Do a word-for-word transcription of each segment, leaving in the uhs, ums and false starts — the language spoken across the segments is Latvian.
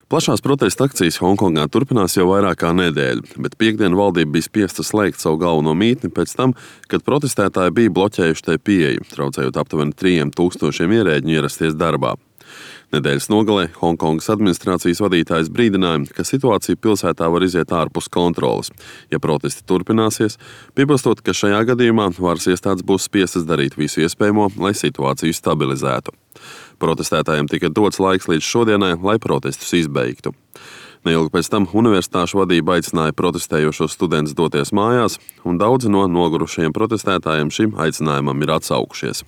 Plašās protesta akcijas Honkongā turpinās jau vairāk kā nedēļu, bet piekdien valdība bija spiesta slēgt savu galveno mītni pēc tam, kad protestētāji bija bloķējuši tai pieeju, traucējot aptuveni trījiem tūkstošiem ierēģņu ierasties darbā. Nedēļas nogalē Honkongas administrācijas vadītājs brīdināja, ka situācija pilsētā var iziet ārpus kontroles. Ja protesti turpināsies, piebilstot, ka šajā gadījumā varas iestādes būs spiestas darīt visu iespējamo, lai situāciju stabilizētu. Protestētājiem tika dots laiks līdz šodienai, lai protestus izbeigtu. Neilgi pēc tam universitāšu vadība aicināja protestējošos studentus doties mājās, un daudzi no nogurušajiem protestētājiem šim aicinājumam ir atsaukušies.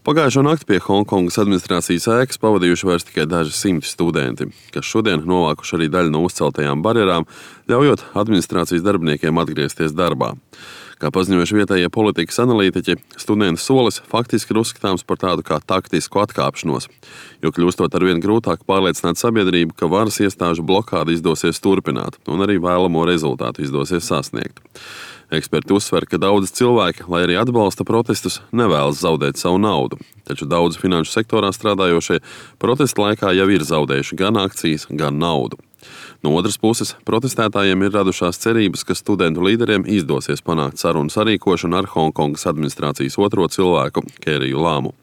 Pagājušo nakti pie Honkongas administrācijas ēkas pavadījuši vairs tikai daži simti studenti, kas šodien novākuši arī daļu no uzceltajām barjerām, ļaujot administrācijas darbiniekiem atgriezties darbā. Kā paziņojuši vietējie politikas analītiķi, studentu solis faktiski ir uzskatāms par tādu kā taktisku atkāpšanos, jo kļūstot arvien grūtāk pārliecināt sabiedrību, ka varas iestāžu blokādi izdosies turpināt un arī vēlamo rezultātu izdosies sasniegt. Eksperti uzsver, ka daudzi cilvēki, lai arī atbalsta protestus, nevēlas zaudēt savu naudu, taču daudzi finanšu sektorā strādājošie protesta laikā jau ir zaudējuši gan akcijas, gan naudu. No otras puses, protestētājiem ir radušās cerības, ka studentu līderiem izdosies panākt sarunu sarīkošanu ar Honkongas administrācijas otro cilvēku, Kēriju Lāmu.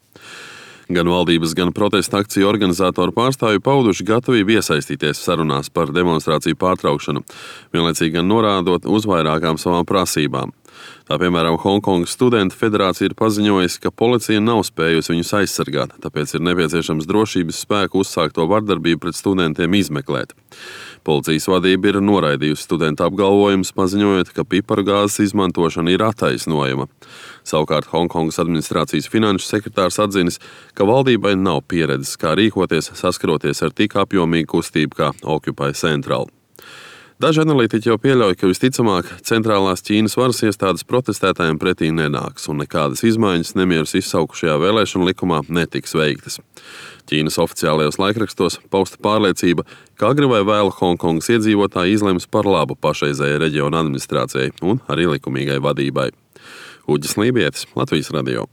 Gan valdības, gan protesta akciju organizatoru pārstāvji pauduši gatavību iesaistīties sarunās par demonstrāciju pārtraukšanu, vienlaicīgi gan norādot uz vairākām savām prasībām. Tā piemēram, Honkongas studentu federācija ir paziņojusi, ka policija nav spējusi viņus aizsargāt, tāpēc ir nepieciešams drošības spēku uzsākto vardarbību pret studentiem izmeklēt. Policijas vadība ir noraidījusi studentu apgalvojumus, paziņojot, ka pipargāzes izmantošana ir attaisnojama. Savukārt Honkongas administrācijas finanšu sekretārs atzinis, ka valdībai nav pieredzes, kā rīkoties, saskaroties ar tik apjomīgu kustību kā Occupy Central. Daži analītiķi jau pieļauj, ka visticamāk centrālās Ķīnas varas iestādes protestētājiem pretī nenāks un nekādas izmaiņas nemierus izsaukušajā vēlēšanu likumā netiks veiktas. Ķīnas oficiālajos laikrakstos pausta pārliecība, ka agri vai vēlu Honkongas iedzīvotāji izlems par labu pašreizējai reģiona administrācijai un arī likumīgai vadībai. Uģis Lībietis, Latvijas radio.